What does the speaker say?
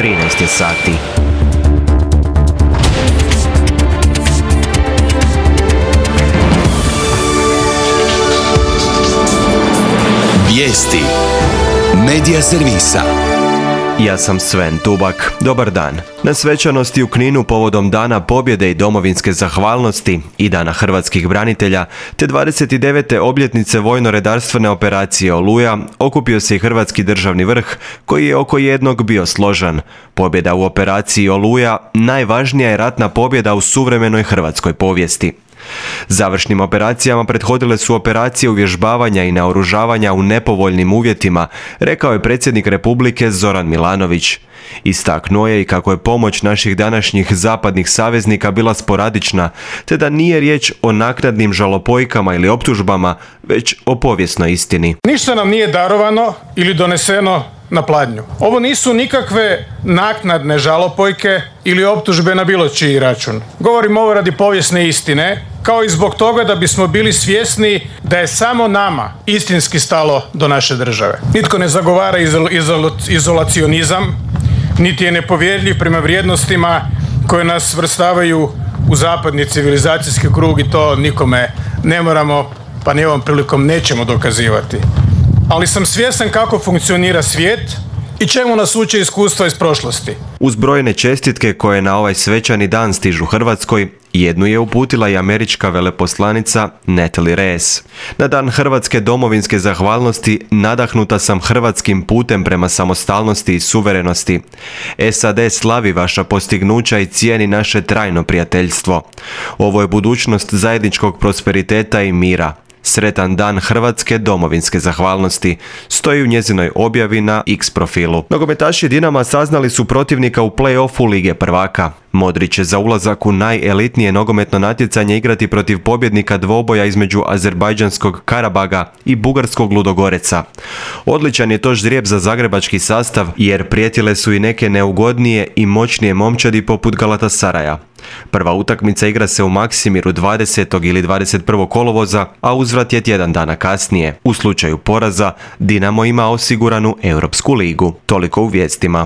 13 je sati. Vijesti Medija servisa. Ja sam Sven Tubak. Dobar dan. Na svečanosti u Kninu povodom Dana pobjede i domovinske zahvalnosti i Dana hrvatskih branitelja, te 29. obljetnice vojno-redarstvene operacije Oluja, okupio se i hrvatski državni vrh, koji je oko jednog bio složan. Pobjeda u operaciji Oluja najvažnija je ratna pobjeda u suvremenoj hrvatskoj povijesti. Završnim operacijama prethodile su operacije uvježbavanja i naoružavanja u nepovoljnim uvjetima, rekao je predsjednik Republike Zoran Milanović. Istaknuo je i kako je pomoć naših današnjih zapadnih saveznika bila sporadična, te da nije riječ o naknadnim žalopojkama ili optužbama, već o povijesnoj istini. Ništa nam nije darovano ili doneseno na pladnju. Ovo nisu nikakve naknadne žalopojke ili optužbe na bilo čiji račun. Govorim ovo radi povijesne istine, kao i zbog toga da bismo bili svjesni da je samo nama istinski stalo do naše države. Nitko ne zagovara izolacionizam, niti je nepovjerljiv prema vrijednostima koje nas svrstavaju u zapadni civilizacijski krug i to nikome ne moramo, pa ni ovom prilikom nećemo dokazivati. Ali sam svjestan kako funkcionira svijet i čemu nas uče iskustva iz prošlosti. Uz brojne čestitke koje na ovaj svečani dan stižu Hrvatskoj, jednu je uputila i američka veleposlanica Natalie Reyes. Na dan hrvatske domovinske zahvalnosti nadahnuta sam hrvatskim putem prema samostalnosti i suverenosti. SAD slavi vaša postignuća i cijeni naše trajno prijateljstvo. Ovo je budućnost zajedničkog prosperiteta i mira. Sretan dan hrvatske domovinske zahvalnosti, stoji u njezinoj objavi na X profilu. Nogometaši Dinama saznali su protivnika u play-offu Lige prvaka. Modrić će za ulazak u najelitnije nogometno natjecanje igrati protiv pobjednika dvoboja između azerbajdžanskog Karabaga i bugarskog Ludogoreca. Odličan je to ždrijeb za zagrebački sastav, jer prijetile su i neke neugodnije i moćnije momčadi poput Galatasaraja. Prva utakmica igra se u Maksimiru 20. ili 21. kolovoza, a uzvrat je tjedan dana kasnije. U slučaju poraza, Dinamo ima osiguranu Europsku ligu. Toliko u vijestima.